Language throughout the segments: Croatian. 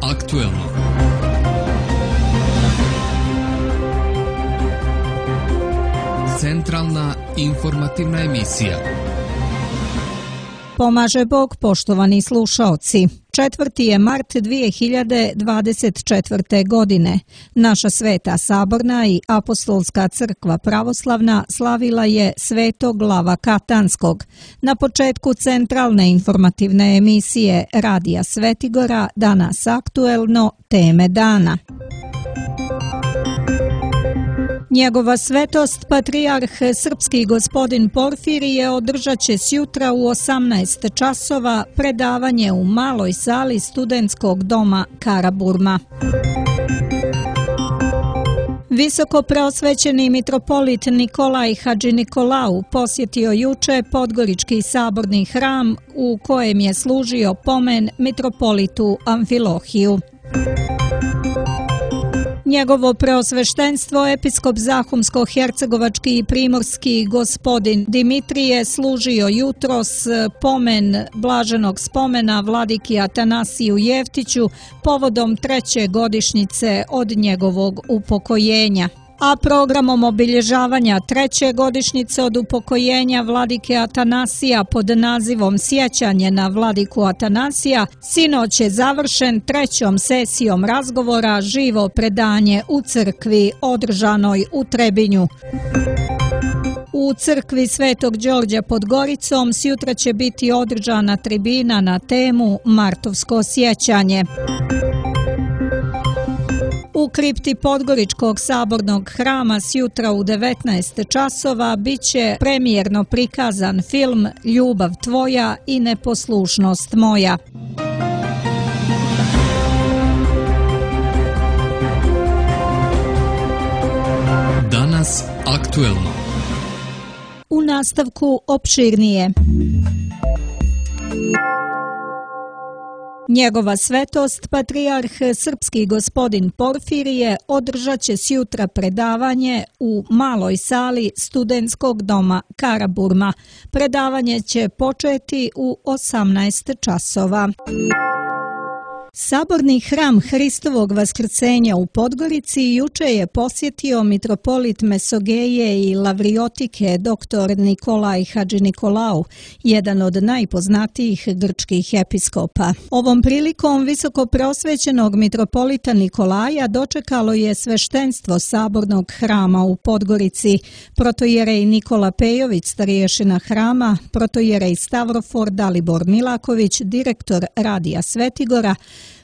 aktuelno. Centralna informativna emisija. Pomaže Bog, poštovani slušaoci. 4. je mart 2024. godine. Naša Sveta Saborna i Apostolska crkva pravoslavna slavila je Svetog Lava Katanskog. Na početku centralne informativne emisije Radija Svetigora danas aktuelno teme dana. Njegova svetost, patrijarh srpski gospodin Porfirije, održat će sjutra u 18 časova predavanje u maloj sali studentskog doma Karaburma. Visoko preosvećeni mitropolit Nikolaj Hadžinikolau posjetio juče Podgorički saborni hram u kojem je služio pomen mitropolitu Amfilohiju. Njegovo preosveštenstvo episkop Zahumsko-hercegovački i primorski gospodin Dimitrije služio jutros pomen blaženog spomena vladiki Atanasiju Jeftiću povodom 3. godišnjice od njegovog upokojenja. A programom obilježavanja 3. godišnjice od upokojenja vladike Atanasija pod nazivom Sjećanje na vladiku Atanasija sinoć je završen 3. sesijom razgovora živo predanje u crkvi održanoj u Trebinju. U crkvi Svetog Đorđa pod Goricom sjutra će biti održana tribina na temu Martovsko sjećanje. U kripti Podgoričkog sabornog hrama sjutra u 19 časova bit će premijerno prikazan film Ljubav tvoja i neposlušnost moja. Danas aktuelno. U nastavku opširnije. Njegova svetost, patrijarh srpski gospodin Porfirije, održat će sjutra predavanje u maloj sali studentskog doma Karaburma. Predavanje će početi u 18 časova. Saborni hram Hristovog vaskrcenja u Podgorici juče je posjetio mitropolit Mesogeje i Lavriotike dr. Nikolaj Hadžinikolau, jedan od najpoznatijih grčkih episkopa. Ovom prilikom visoko preosvećenog mitropolita Nikolaja dočekalo je sveštenstvo Sabornog hrama u Podgorici, protojerej Nikola Pejović, starješina hrama, protojerej Stavrofor Dalibor Milaković, direktor Radija Svetigora,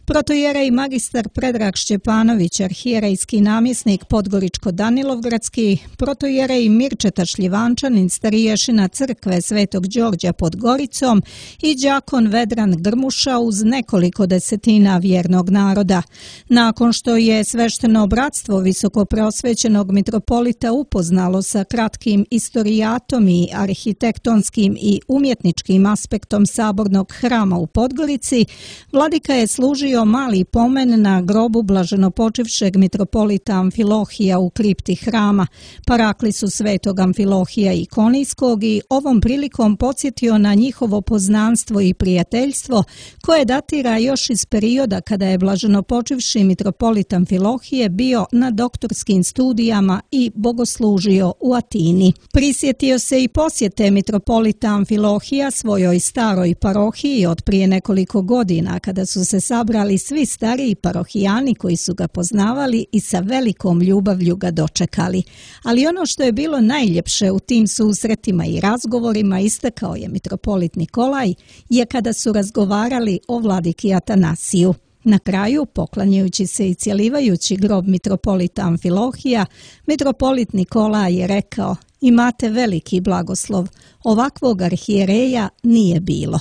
protojerej magistar Predrag Šćepanović, arhijerejski namjesnik Podgoričko-Danilovgradski, protojerej Mirčeta Šljivančanin, stariješina crkve Svetog Đorđa pod Goricom i đakon Vedran Grmuša uz nekoliko desetina vjernog naroda. Nakon što je svešteno bratstvo visoko preosvećenog mitropolita upoznalo sa kratkim istorijatom i arhitektonskim i umjetničkim aspektom Sabornog hrama u Podgorici, vladika je služio mali pomen na grobu blaženopočivšeg mitropolita Amfilohija u kripti hrama, paraklisu Svetog Amfilohija Ikonijskog, i ovom prilikom podsjetio na njihovo poznanstvo i prijateljstvo koje datira još iz perioda kada je blaženopočivši mitropolit Amfilohije bio na doktorskim studijama i bogoslužio u Atini. Prisjetio se i posjete mitropolita Amfilohija svojoj staroj parohiji od prije nekoliko godina kada su se sabrali svi stariji parohijani koji su ga poznavali i sa velikom ljubavlju ga dočekali. Ali ono što je bilo najljepše u tim susretima i razgovorima, istakao je mitropolit Nikolaj, je kada su razgovarali o vladiki Atanasiju. Na kraju, poklanjajući se i cjelivajući grob mitropolita Amfilohija, mitropolit Nikolaj je rekao: imate veliki blagoslov, ovakvog arhijereja nije bilo.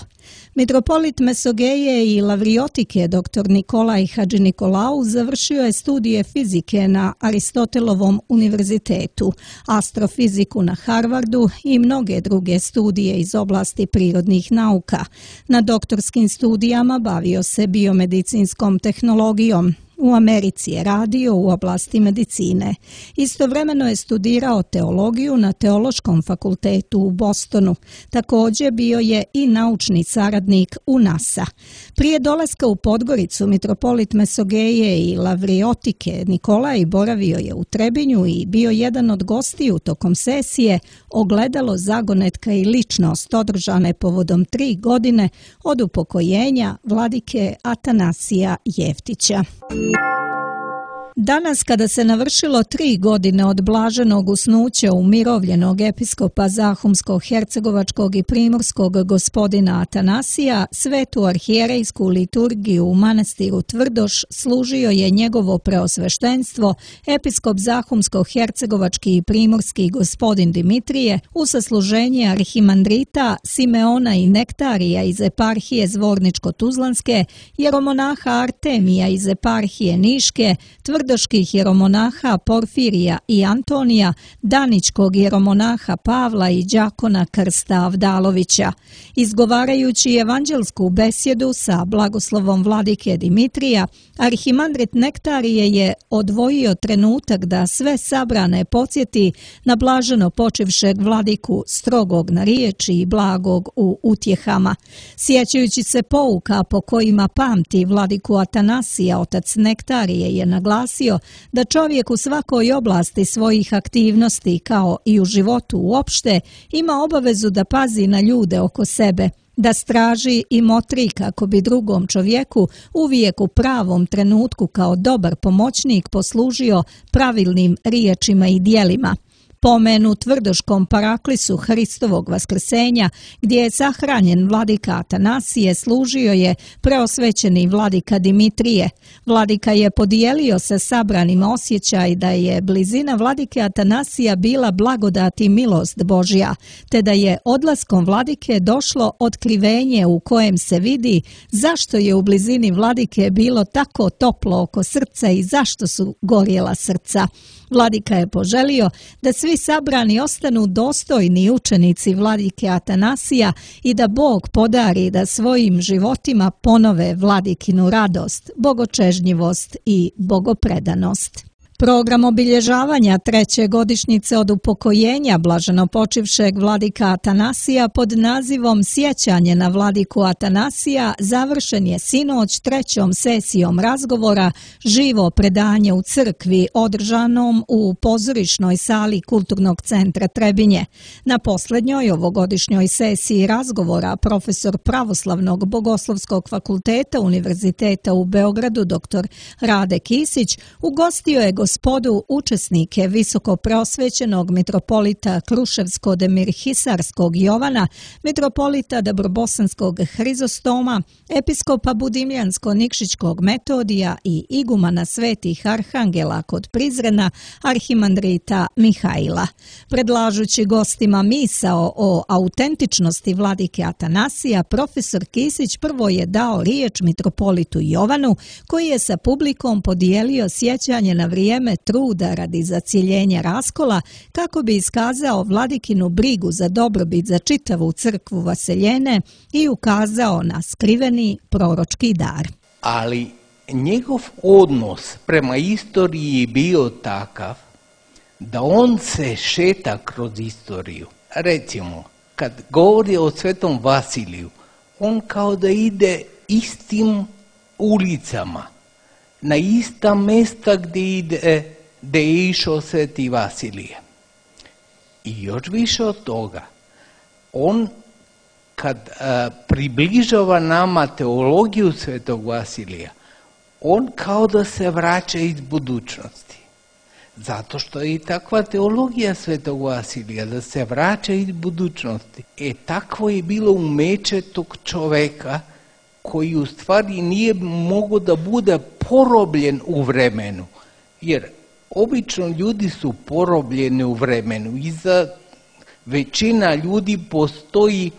Mitropolit Mesogeje i Lavriotike dr. Nikolaj Hadžinikolau završio je studije fizike na Aristotelovom univerzitetu, astrofiziku na Harvardu i mnoge druge studije iz oblasti prirodnih nauka. Na doktorskim studijama bavio se biomedicinskom tehnologijom. U Americi je radio u oblasti medicine. Istovremeno je studirao teologiju na Teološkom fakultetu u Bostonu. Također bio je i naučni saradnik u NASA. Prije dolaska u Podgoricu mitropolit Mesogeje i Lavriotike Nikolaj boravio je u Trebinju i bio jedan od gostiju tokom sesije Ogledalo zagonetka i ličnost održane povodom 3 godine od upokojenja vladike Atanasija Jeftića. Danas, kada se navršilo 3 godine od blaženog usnuća umirovljenog episkopa Zahumsko-hercegovačkog i primorskog gospodina Atanasija, svetu arhijerejsku liturgiju u manastiru Tvrdoš služio je njegovo preosveštenstvo, episkop Zahumsko-hercegovački i primorski gospodin Dimitrije, u sasluženje arhimandrita Simeona i Nektarija iz eparhije Zvorničko-Tuzlanske, jeromonaha Artemija iz eparhije Niške, tvrdoških jeromonaha Porfirija i Antonija, daničkog jeromonaha Pavla i đakona Krsta Avdalovića. Izgovarajući evanđelsku besjedu sa blagoslovom vladike Dimitrija, arhimandrit Nektarije je odvojio trenutak da sve sabrane podsjeti na blaženo počivšeg vladiku, strogog na riječi i blagog u utjehama. Sjećajući se pouka po kojima pamti vladiku Atanasija, otac Nektarije je naglasio da čovjek u svakoj oblasti svojih aktivnosti, kao i u životu uopšte, ima obavezu da pazi na ljude oko sebe, da straži i motri kako bi drugom čovjeku uvijek u pravom trenutku kao dobar pomoćnik poslužio pravilnim riječima i djelima. Pomen u tvrdoškom paraklisu Hristovog vaskrsenja, gdje je sahranjen vladika Atanasije, služio je preosvećeni vladika Dimitrije. Vladika je podijelio sa sabranim osjećaj da je blizina vladike Atanasija bila blagodat i milost Božja, te da je odlaskom vladike došlo otkrivenje u kojem se vidi zašto je u blizini vladike bilo tako toplo oko srca i zašto su gorjela srca. Vladika je poželio da svi sabrani ostanu dostojni učenici vladike Atanasija i da Bog podari da svojim životima ponove vladikinu radost, bogočežnjivost i bogopredanost. Program obilježavanja 3. godišnjice od upokojenja blaženopočivšeg vladika Atanasija pod nazivom Sjećanje na vladiku Atanasija završen je sinoć 3. sesijom razgovora Živo predanje u crkvi održanom u pozorišnoj sali Kulturnog centra Trebinje. Na posljednjoj ovogodišnjoj sesiji razgovora profesor Pravoslavnog bogoslovskog fakulteta Univerziteta u Beogradu dr. Rade Kisić ugostio je gospodu učesnike visoko preosvećenog mitropolita Kruševsko-Demirhisarskog Jovana, mitropolita Dabrobosanskog Hrizostoma, episkopa Budimljansko-Nikšićkog Metodija i igumana svetih arhangela kod Prizrena, arhimandrita Mihaila. Predlažući gostima misao o autentičnosti vladike Atanasija, profesor Kisić prvo je dao riječ mitropolitu Jovanu, koji je sa publikom podijelio sjećanje na vrijeme truda radi zacjeljenja raskola, kako bi iskazao vladikinu brigu za dobrobit za čitavu crkvu Vaseljene i ukazao na skriveni proročki dar. Ali njegov odnos prema istoriji je bio takav da on se šeta kroz istoriju. Recimo, kad govori o svetom Vasiliju, on kao da ide istim ulicama, na ista mjesta gdje je išao sveti Vasilije. I još više od toga, on kad približava nama teologiju svetog Vasilija, on kao da se vraća iz budućnosti. Zato što je i takva teologija svetog Vasilija, da se vraća iz budućnosti. Takvo je bilo umeće tog čoveka koji u stvari nije mogao da bude porobljen u vremenu. Jer obično ljudi su porobljeni u vremenu. Iza većina ljudi postoji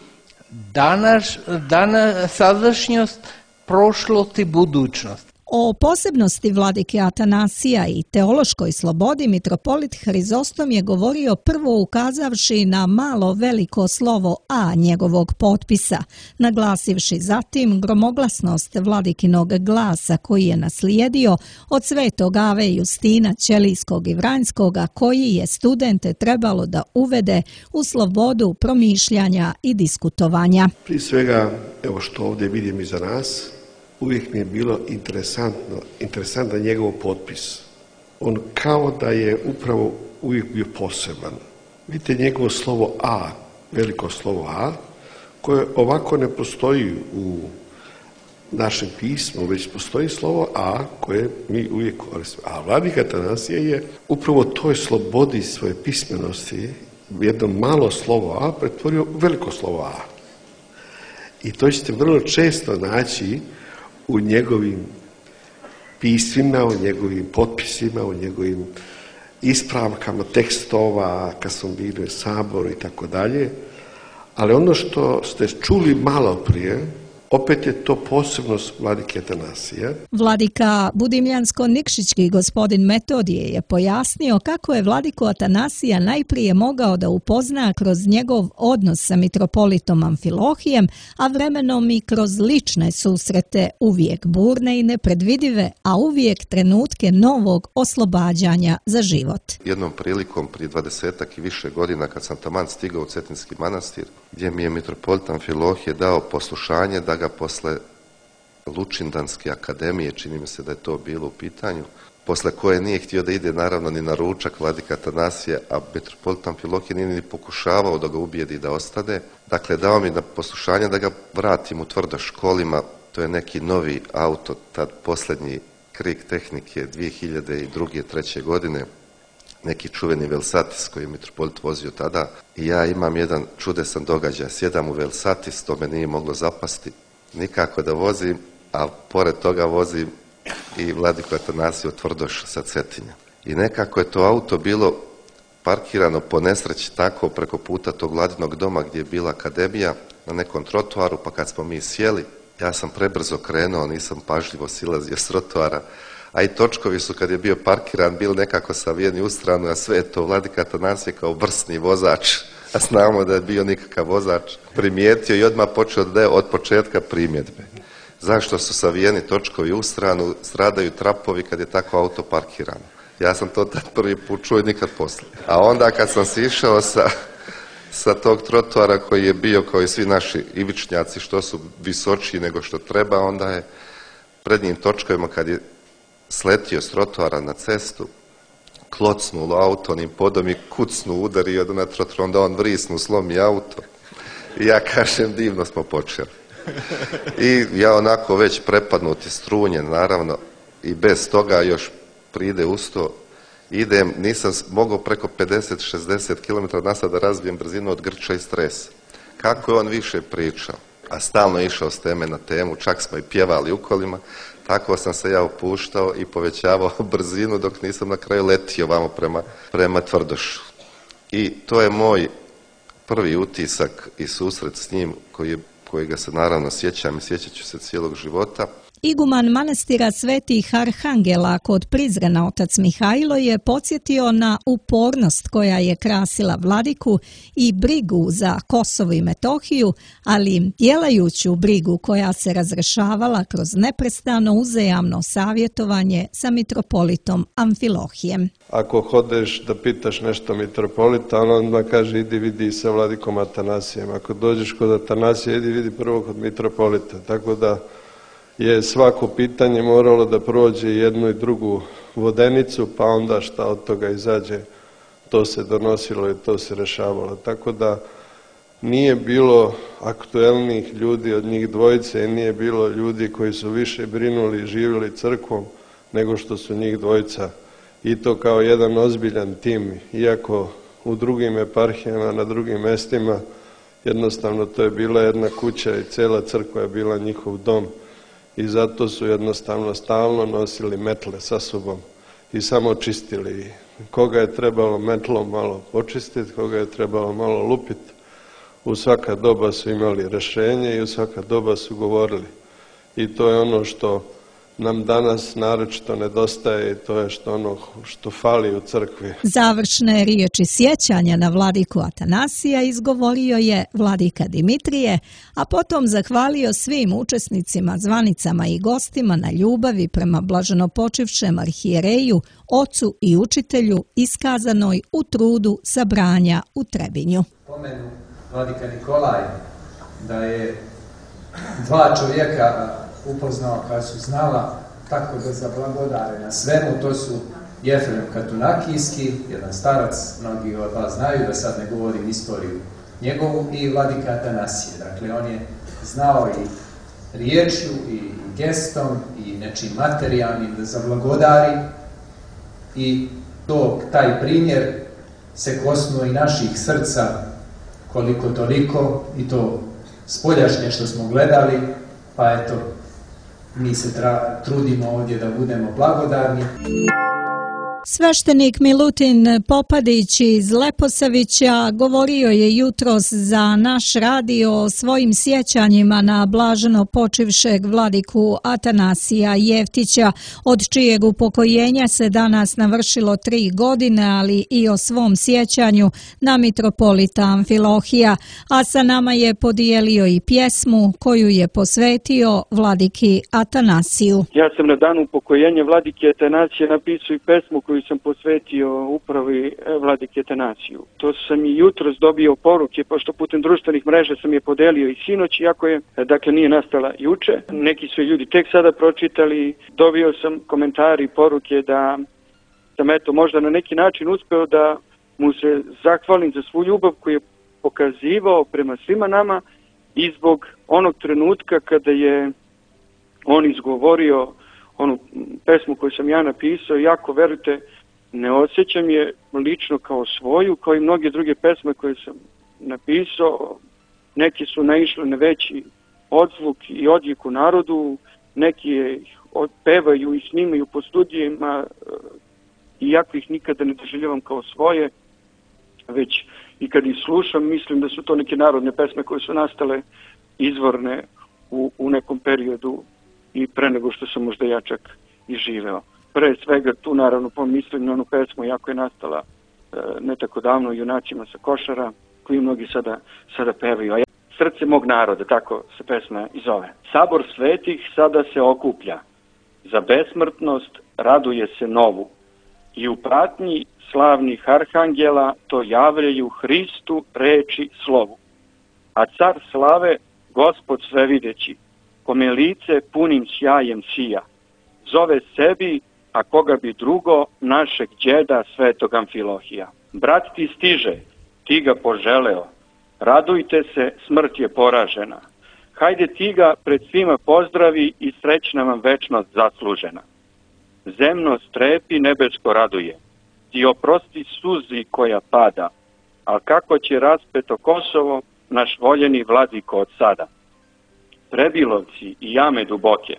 sadašnjost, prošlost i budućnost. O posebnosti vladike Atanasija i teološkoj slobodi mitropolit Hrizostom je govorio prvo ukazavši na malo veliko slovo A njegovog potpisa, naglasivši zatim gromoglasnost vladikinog glasa koji je naslijedio od svetog Ave Justina Ćelijskog i Vranjskoga, koji je studente trebalo da uvede u slobodu promišljanja i diskutovanja. Prije svega, evo što ovdje vidim iza nas, uvijek mi je bilo interesantan njegov potpis. On kao da je upravo uvijek bio poseban. Vidite njegovo slovo A, veliko slovo A, koje ovako ne postoji u našem pismu, već postoji slovo A koje mi uvijek koristimo. A vladika Atanasije je upravo toj slobodi svoje pismenosti jedno malo slovo A pretvorio u veliko slovo A. I to ćete vrlo često naći u njegovim pismima, u njegovim potpisima, u njegovim ispravkama tekstova, kad smo bili u Saboru i tako dalje. Ali ono što ste čuli malo prije, opet je to posebnost vladike Atanasija. Vladika Budimljansko-Nikšićki gospodin Metodije je pojasnio kako je vladiku Atanasija najprije mogao da upozna kroz njegov odnos sa mitropolitom Amfilohijem, a vremenom i kroz lične susrete, uvijek burne i nepredvidive, a uvijek trenutke novog oslobađanja za život. Jednom prilikom prije 20-ak i više godina kad sam taman stigao u Cetinski manastir, gdje mi je mitropolit Amfilohije dao poslušanje da ga posle Lučindanske akademije, čini mi se da je to bilo u pitanju, posle koje nije htio da ide naravno ni na ručak vladika Atanasija, a mitropolit Amfilohije nije ni pokušavao da ga ubijedi da ostane. Dakle, dao mi na poslušanje da ga vratim u Tvrdoš kolima, to je neki novi auto, tad posljednji krik tehnike 2002. 2003. godine, neki čuveni Velsatis koji je mitropolit vozio tada. I ja imam jedan čudesan događaj, sjedam u Velsatis, to me nije moglo zapasti nikako da vozim, a pored toga vozim i vladiku Atanasiju Tvrdoš sa Cetinja. I nekako je to auto bilo parkirano po nesreći tako preko puta tog vladinog doma gdje je bila akademija na nekom trotoaru, pa kad smo mi sjeli, ja sam prebrzo krenuo, nisam pažljivo silazio s trotoara, a i točkovi su kad je bio parkiran bili nekako savijeni u stranu, a sve je to vladika Atanasije kao vrsni vozač, a znamo da je bio nikakav vozač, primijetio i odmah počeo da je od početka primjedbe. Zašto su savijeni točkovi u stranu, stradaju trapovi kad je tako auto parkirano? Ja sam to tad prvi put čuo i nikad poslije. A onda kad sam si išao sa tog trotoara koji je bio kao i svi naši ivičnjaci što su visočiji nego što treba, onda je prednjim točkovima kad je sletio s trotoara na cestu, klocnulo auto onim podom i kucnu udario na trotoar, onda on vrisnu, slomi auto. I ja kažem, divno smo počeli. I ja onako već prepadnuti strunjen, naravno, i bez toga još pride uz to, idem, nisam mogao preko 50-60 km na sat da razbijem brzinu od grča i stresa. Kako je on više pričao, a stalno je išao s teme na temu, čak smo i pjevali u kolima, tako sam se ja opuštao i povećavao brzinu dok nisam na kraju letio vamo prema Tvrdošu. I to je moj prvi utisak i susret s njim kojega se naravno sjećam i sjećat ću se cijelog života. Iguman manastira Svetih Arhangela kod Prizrena otac Mihajlo je podsjetio na upornost koja je krasila vladiku i brigu za Kosovo i Metohiju, ali djelajuću brigu koja se razrešavala kroz neprestano uzajamno savjetovanje sa mitropolitom Amfilohijem. Ako hodeš da pitaš nešto mitropolita, on odmah kaže idi vidi sa vladikom Atanasijem. Ako dođeš kod Atanasija, idi vidi prvo kod mitropolita. Tako da je svako pitanje moralo da prođe jednu i drugu vodenicu, pa onda šta od toga izađe, to se donosilo i to se rešavalo. Tako da nije bilo aktuelnih ljudi od njih dvojice i nije bilo ljudi koji su više brinuli i živjeli crkvom nego što su njih dvojica. I to kao jedan ozbiljan tim, iako u drugim eparhijama, na drugim mestima, jednostavno to je bila jedna kuća i cijela crkva je bila njihov dom. I zato su jednostavno stalno nosili metle sa sobom i samo čistili. Koga je trebalo metlom malo počistiti, koga je trebalo malo lupiti. U svaka doba su imali rješenje i u svaka doba su govorili. I to je ono što nam danas naročito nedostaje i to je što fali u crkvi. Završne riječi sjećanja na vladiku Atanasija izgovorio je vladika Dimitrije, a potom zahvalio svim učesnicima, zvanicama i gostima na ljubavi prema blaženopočivšem arhijereju, ocu i učitelju iskazanoj u trudu sabranja u Trebinju. Pomenu vladika Nikolaj da je dva čovjeka upoznao koja su znala tako da zablagodare na svemu, to su Jefrem Katunakijski, jedan starac, mnogi od vas znaju, da sad ne govorim istoriju njegovu, i vladika Atanasije. Dakle, on je znao i riječju i gestom i nečim materijalnim da zablagodari i taj primjer se kosnuo i naših srca koliko toliko i to spoljašnje što smo gledali, pa eto, mi se trudimo ovdje da budemo blagodarni. Sveštenik Milutin Popadić iz Leposavića govorio je jutros za naš radio o svojim sjećanjima na blaženo počivšeg vladiku Atanasija Jeftića, od čijeg upokojenja se danas navršilo 3 godine, ali i o svom sjećanju na mitropolita Amfilohija, a sa nama je podijelio i pjesmu koju je posvetio vladiki Atanasiju. Ja sam na danu upokojenja vladike Atanasija napisao i pesmu koju sam posvetio upravi vladike Atanasiju. To sam i jutros dobio poruke, pošto putem društvenih mreža sam je podelio i sinoć, iako je, dakle, nije nastala juče. Neki su ljudi tek sada pročitali, dobio sam komentari i poruke da sam eto možda na neki način uspeo da mu se zahvalim za svu ljubav koju je pokazivao prema svima nama i zbog onog trenutka kada je on izgovorio onu pesmu koju sam ja napisao, jako verujte, ne osjećam je lično kao svoju, kao i mnoge druge pesme koje sam napisao. Neki su naišli na veći odzvuk i odjek u narodu, neki je pevaju i snimaju po studijima, iako ih nikada ne doživljavam kao svoje, već i kad ih slušam, mislim da su to neke narodne pesme koje su nastale izvorne u nekom periodu i pre nego što sam možda ja čak i živeo. Pre svega tu naravno pomislim na onu pesmu, jako je nastala ne tako davno, Junacima sa Košara, koji mnogi sada pevaju. Srce mog naroda, tako se pesma i zove. Sabor svetih sada se okuplja, za besmrtnost raduje se novu i u pratnji slavnih arhangela to javljaju Hristu reči slovu. A car slave, Gospod svevideći, kome lice punim sjajem sija, zove sebi, a koga bi drugo, našeg đeda svetog Amfilohija. Brat ti stiže, ti ga poželeo, radujte se, smrt je poražena. Hajde ti ga pred svima pozdravi i srećna vam večnost zaslužena. Zemno strepi, nebesko raduje, ti oprosti suzi koja pada, al kako će raspeto Kosovo, naš voljeni vladiko od sada. Prebilovci i jame duboke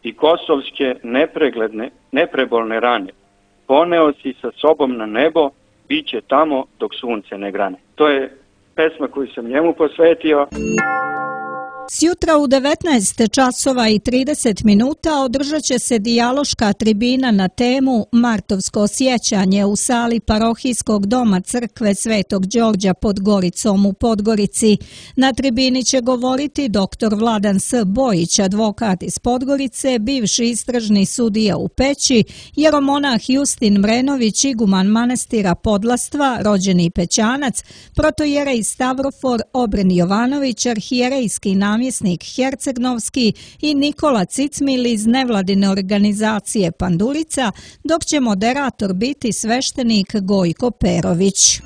i kosovske neprebolne rane poneo si sa sobom na nebo, bit će tamo dok sunce ne grane. To je pesma koju sam njemu posvetio. Sjutra u 19 časova i 30 minuta održat će se dijaloška tribina na temu Martovsko sjećanje u sali parohijskog doma crkve Svetog Đorđa pod Goricom u Podgorici. Na tribini će govoriti dr. Vladan S. Bojić, advokat iz Podgorice, bivši istražni sudija u Peći, jeromonah Justin Mrenović, iguman manastira Podlastva, rođeni Pećanac, protojerej Stavrofor Obren Jovanović, arhijerejski namjesnik Hercegnovski i Nikola Cicmil iz nevladine organizacije Pandurica, dok će moderator biti sveštenik Gojko Perović.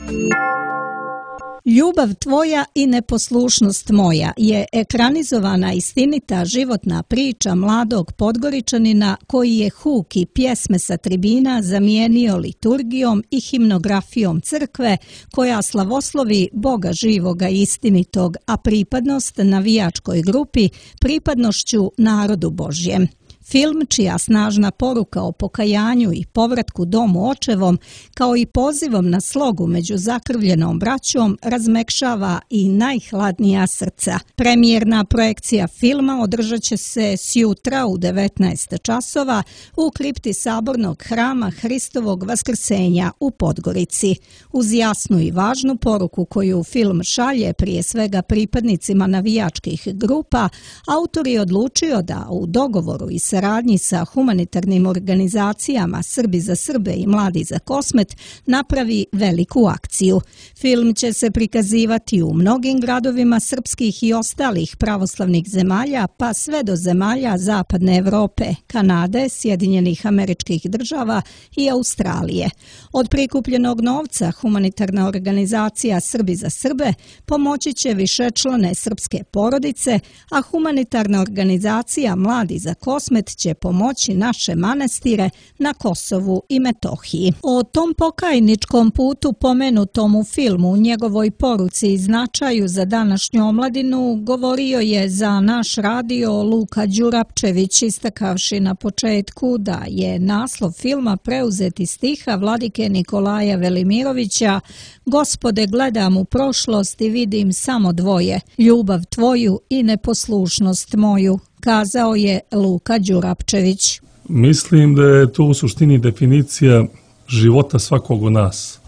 Ljubav tvoja i neposlušnost moja je ekranizovana istinita životna priča mladog Podgoričanina koji je huk i pjesme sa tribina zamijenio liturgijom i himnografijom crkve koja slavoslovi Boga živoga i istinitog, a pripadnost navijačkoj grupi pripadnošću narodu Božjem. Film čija snažna poruka o pokajanju i povratku domu očevom, kao i pozivom na slogu među zakrvljenom braćom, razmekšava i najhladnija srca. Premijerna projekcija filma održat će se sjutra u 19 časova u kripti Sabornog hrama Hristovog Vaskrsenja u Podgorici. Uz jasnu i važnu poruku koju film šalje prije svega pripadnicima navijačkih grupa, autor je odlučio da u dogovoru i saradnji sa humanitarnim organizacijama Srbi za Srbe i Mladi za Kosmet napravi veliku akciju. Film će se prikazivati u mnogim gradovima srpskih i ostalih pravoslavnih zemalja, pa sve do zemalja Zapadne Evrope, Kanade, Sjedinjenih Američkih Država i Australije. Od prikupljenog novca humanitarna organizacija Srbi za Srbe pomoći će višečlane srpske porodice, a humanitarna organizacija Mladi za Kosmet će pomoći naše manastire na Kosovu i Metohiji. O tom pokajničkom putu pomenutom u filmu, njegovoj poruci i značaju za današnju omladinu govorio je za naš radio Luka Đurapčević, istakavši na početku da je naslov filma preuzet iz stiha vladike Nikolaja Velimirovića "Gospode, gledam u prošlost i vidim samo dvoje, ljubav tvoju i neposlušnost moju", kazao je Luka Đurapčević. Mislim da je to u suštini definicija života svakog od nas.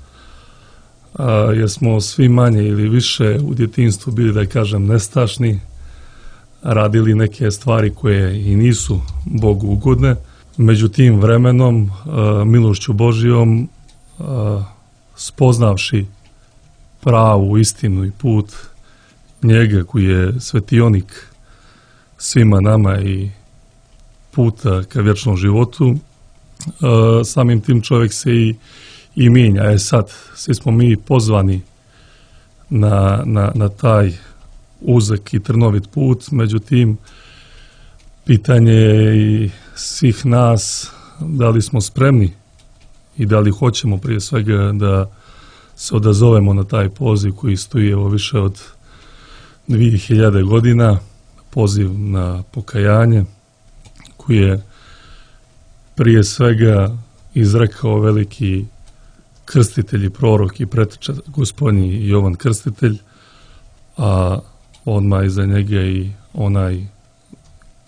Jer smo svi manje ili više u djetinjstvu bili, da kažem, nestašni, radili neke stvari koje i nisu Bogu ugodne. Međutim, vremenom, milošću Božijom, spoznavši pravu istinu i put njega koji je svetionik svima nama i puta ka vječnom životu, samim tim čovjek se i mijenja. Sad, svi smo mi pozvani na taj uzak i trnovit put, međutim, pitanje je i svih nas da li smo spremni i da li hoćemo prije svega da se odazovemo na taj poziv koji stoji evo više od 2000 godina, poziv na pokajanje, koji je prije svega izrekao veliki krstitelj i prorok i preteča Gospodnji Jovan Krstitelj, a odmah iza njega i onaj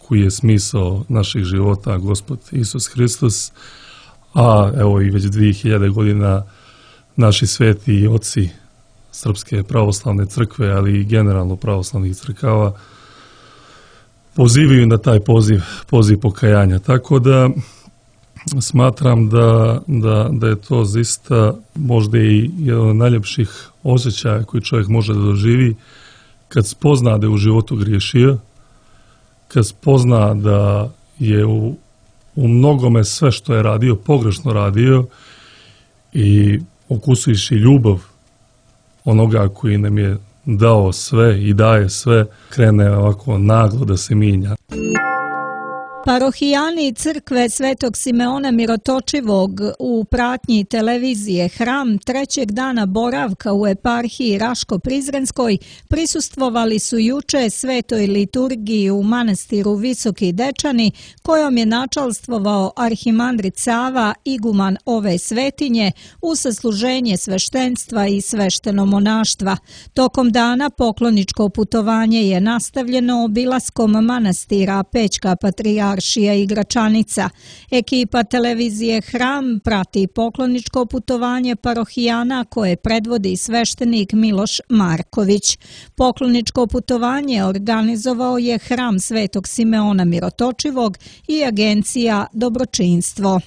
koji je smisao naših života, Gospod Isus Hristos, a evo i već 2000 godina naši sveti i oci Srpske pravoslavne crkve, ali i generalno pravoslavnih crkava, pozivaju na taj poziv pokajanja. Tako da smatram da je to zaista možda i jedan od najljepših osjećaja koji čovjek može da doživi kad spozna da je u životu griješio, kad spozna da je u mnogome sve što je radio, pogrešno radio, i okusuješ i ljubav onoga koji nam je dao sve i daje sve, krene ovako naglo da se mijenja. Parohijani crkve Svetog Simeona Mirotočivog u pratnji televizije Hram trećeg dana boravka u eparhiji Raško-Prizrenskoj prisustvovali su juče svetoj liturgiji u manastiru Visoki Dečani, kojom je načalstvovao arhimandrit Sava, iguman ove svetinje, u sasluženje sveštenstva i svešteno monaštva. Tokom dana pokloničko putovanje je nastavljeno obilaskom manastira Pećka Patrijaršija i Gračanica. Ekipa televizije Hram prati pokloničko putovanje parohijana koje predvodi sveštenik Miloš Marković. Pokloničko putovanje organizovao je Hram Svetog Simeona Mirotočivog i agencija Dobročinstvo.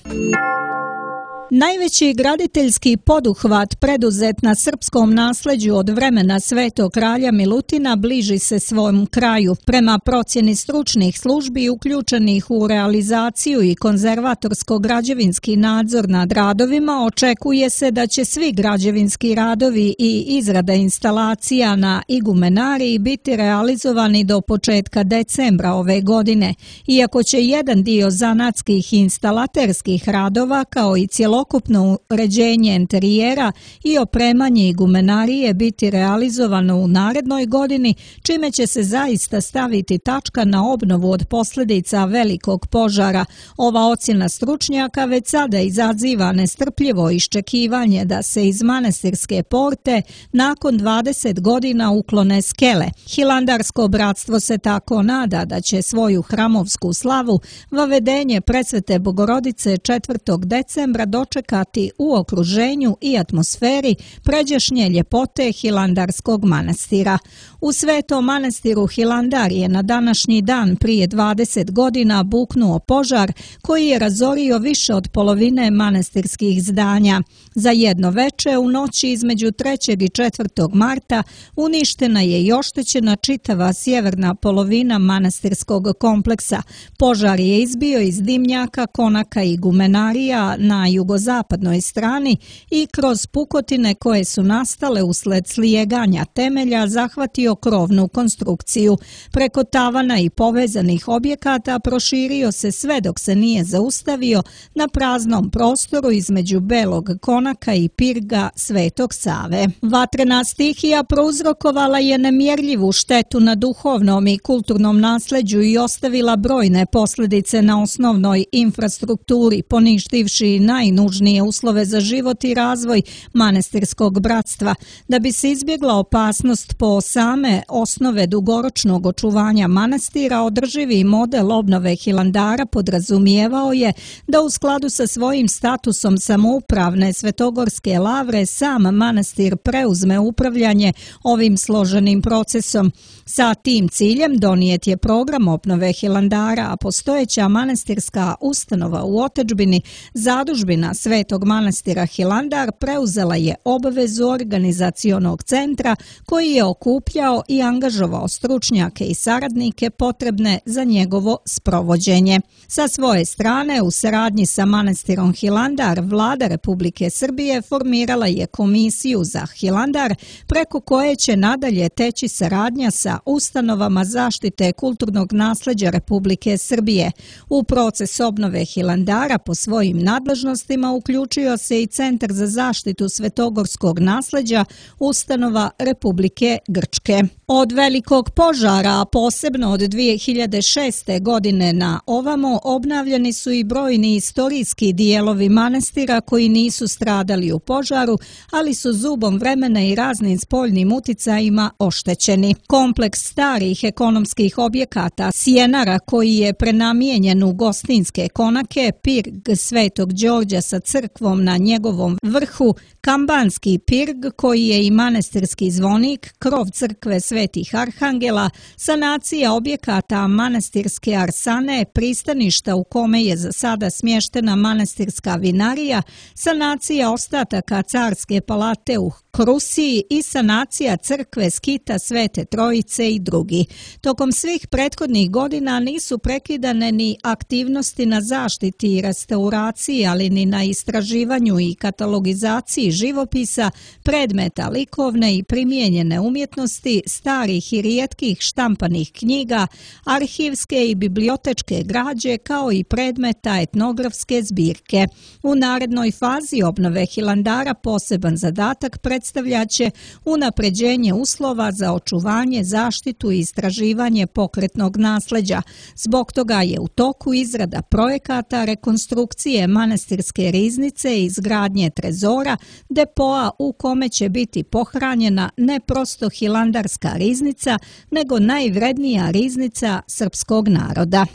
Najveći graditeljski poduhvat preduzet na srpskom nasleđu od vremena Svetog kralja Milutina bliži se svom kraju. Prema procjeni stručnih službi uključenih u realizaciju i konzervatorsko-građevinski nadzor nad radovima, očekuje se da će svi građevinski radovi i izrada instalacija na igumenariji biti realizovani do početka decembra ove godine, iako će jedan dio zanatskih i instalaterskih radova kao i cjelovito celokupno uređenje interijera i opremanje igumenarije biti realizovano u narednoj godini, čime će se zaista staviti tačka na obnovu od posljedica velikog požara. Ova ocjena stručnjaka već sada izaziva nestrpljivo iščekivanje da se iz manastirske porte nakon 20 godina uklone skele. Hilandarsko bratstvo se tako nada da će svoju hramovsku slavu vavedenje Presvete Bogorodice 4. decembra dočekati u okruženju i atmosferi pređašnje ljepote Hilandarskog manastira. U Svetom manastiru Hilandar je na današnji dan prije 20 godina buknuo požar koji je razorio više od polovine manastirskih zdanja. Za jedno veče u noći između 3. i 4. marta uništena je i oštećena čitava sjeverna polovina manastirskog kompleksa. Požar je izbio iz dimnjaka, konaka i gumenarija na jugozapadnoj strani i kroz pukotine koje su nastale usled slijeganja temelja zahvatio krovnu konstrukciju. Preko tavana i povezanih objekata proširio se sve dok se nije zaustavio na praznom prostoru između Belog konaka i pirga Svetog Save. Vatrena stihija prouzrokovala je nemjerljivu štetu na duhovnom i kulturnom nasleđu i ostavila brojne posljedice na osnovnoj infrastrukturi, poništivši najnužnije uslove za život i razvoj manastirskog bratstva. Da bi se izbjegla opasnost po same osnove dugoročnog očuvanja manastira, održivi model obnove Hilandara podrazumijevao je da u skladu sa svojim statusom samoupravne svetogorske lavre sam manastir preuzme upravljanje ovim složenim procesom. Sa tim ciljem donijet je program obnove Hilandara, a postojeća manastirska ustanova u otadžbini, zadužbina Svetog manastira Hilandar, preuzela je obvezu organizacionog centra koji je okupljao i angažovao stručnjake i saradnike potrebne za njegovo sprovođenje. Sa svoje strane, u saradnji sa manastirom Hilandar, Vlada Republike Srbije formirala je komisiju za Hilandar, preko koje će nadalje teći saradnja sa ustanovama zaštite kulturnog nasleđa Republike Srbije. U proces obnove Hilandara po svojim nadležnostima uključio se i Centar za zaštitu svetogorskog nasleđa ustanova Republike Grčke. Od velikog požara, a posebno od 2006. godine na ovamo, obnavljani su i brojni istorijski dijelovi manastira koji nisu stradali u požaru, ali su zubom vremena i raznim spoljnim uticajima oštećeni. Kompleks starih ekonomskih objekata Sjenara, koji je prenamijenjen u gostinske konake, pirg Svetog Đorđa sa crkvom na njegovom vrhu, Kambanski pirg koji je i manastirski zvonik, krov crkve Svetih Arhangela, sanacija objekata manastirske arsane, pristaništa u kome je za sada smještena manastirska vinarija, sanacija ostataka carske palate u Krusiji i sanacija crkve Skita Svete Trojice i drugi. Tokom svih prethodnih godina nisu prekidane ni aktivnosti na zaštiti i restauraciji, ali ni na istraživanju i katalogizaciji živopisa, predmeta likovne i primijenjene umjetnosti, starih i rijetkih štampanih knjiga, arhivske i bibliotečke građe, kao i predmeta etnografske zbirke. U narednoj fazi obnove Hilandara poseban zadatak predstavljaće unapređenje uslova za očuvanje, zaštitu i istraživanje pokretnog nasleđa. Zbog toga je u toku izrada projekata rekonstrukcije manastirske riznice i izgradnje trezora, depoa u kome će biti pohranjena ne prosto hilandarska riznica, nego najvrednija riznica srpskog naroda.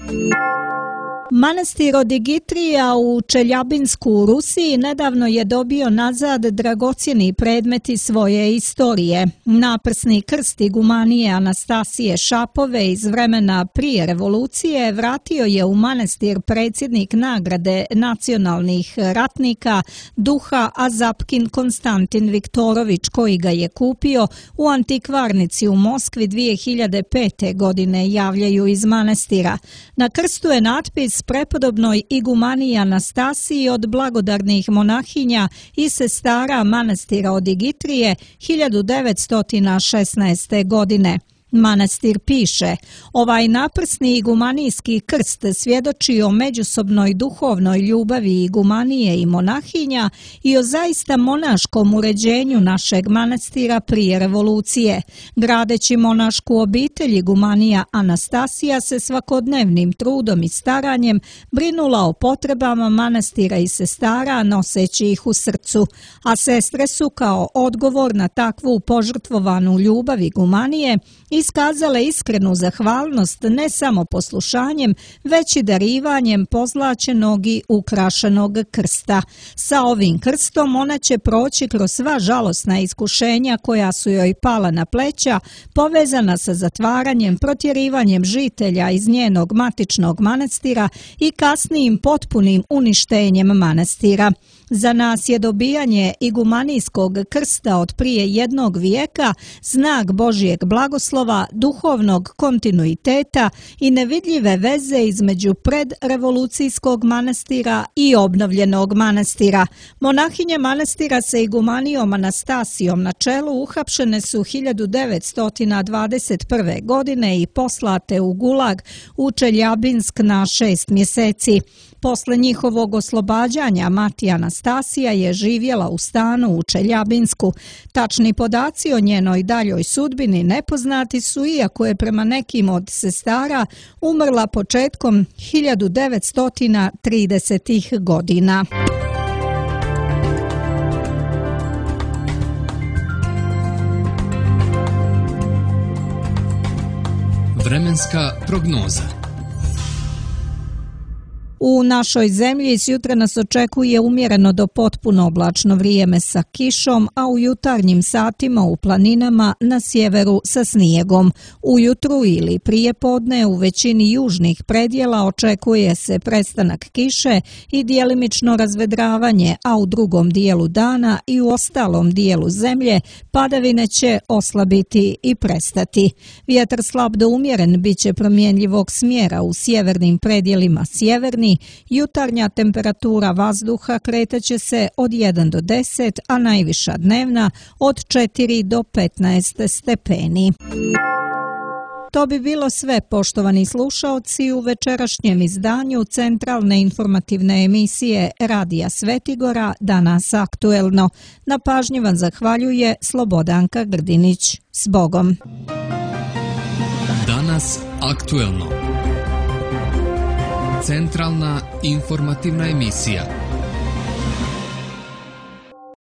Manastir Odigitrija u Čeljabinsku u Rusiji nedavno je dobio nazad dragocjeni predmeti svoje istorije. Naprsni krst igumanije Anastasije Šapove iz vremena prije revolucije vratio je u manastir predsjednik nagrade nacionalnih ratnika Duha Azapkin Konstantin Viktorović, koji ga je kupio u antikvarnici u Moskvi 2005. godine, javljaju iz manastira. Na krstu je natpis prepodobnoj igumaniji Anastasiji od blagodarnih monahinja i sestara manastira Odigitrije 1916. godine. Manastir piše, ovaj naprsni igumanijski krst svjedoči o međusobnoj duhovnoj ljubavi igumanije i monahinja i o zaista monaškom uređenju našeg manastira prije revolucije. Gradeći monašku obitelj, igumanija Anastasija se svakodnevnim trudom i staranjem brinula o potrebama manastira i sestara, noseći ih u srcu, a sestre su kao odgovor na takvu požrtvovanu ljubav igumanije iskazale iskrenu zahvalnost ne samo poslušanjem, već i darivanjem pozlaćenog i ukrašenog krsta. Sa ovim krstom ona će proći kroz sva žalosna iskušenja koja su joj pala na pleća, povezana sa zatvaranjem, protjerivanjem žitelja iz njenog matičnog manastira i kasnijim potpunim uništenjem manastira. Za nas je dobijanje igumanijskog krsta od prije 1 vijeka znak Božjeg blagoslova, duhovnog kontinuiteta i nevidljive veze između predrevolucijskog manastira i obnovljenog manastira. Monahinje manastira sa igumanijom Anastasijom na čelu uhapšene su 1921. godine i poslate u Gulag u Čeljabinsk na 6 mjeseci. Posle njihovog oslobađanja mati Anastasija je živjela u stanu u Čeljabinsku. Tačni podaci o njenoj daljoj sudbini nepoznati su, iako je prema nekim od sestara umrla početkom 1930. godina. Vremenska prognoza. U našoj zemlji s jutra nas očekuje umjereno do potpuno oblačno vrijeme sa kišom, a u jutarnjim satima u planinama na sjeveru sa snijegom. Ujutru ili prije podne u većini južnih predjela očekuje se prestanak kiše i djelimično razvedravanje, a u drugom dijelu dana i u ostalom dijelu zemlje padavine će oslabiti i prestati. Vjetar slab do umjeren bit će promjenjivog smjera u sjevernim predjelima sjeverni. Jutarnja temperatura vazduha kretaće se od 1 do 10, a najviša dnevna od 4 do 15 stepeni. To bi bilo sve, poštovani slušaoci, u večerašnjem izdanju centralne informativne emisije Radija Svetigora Danas aktuelno. Na pažnji vam zahvaljuje Slobodanka Grdinić. S Bogom! Danas aktuelno. Centralna informativna emisija.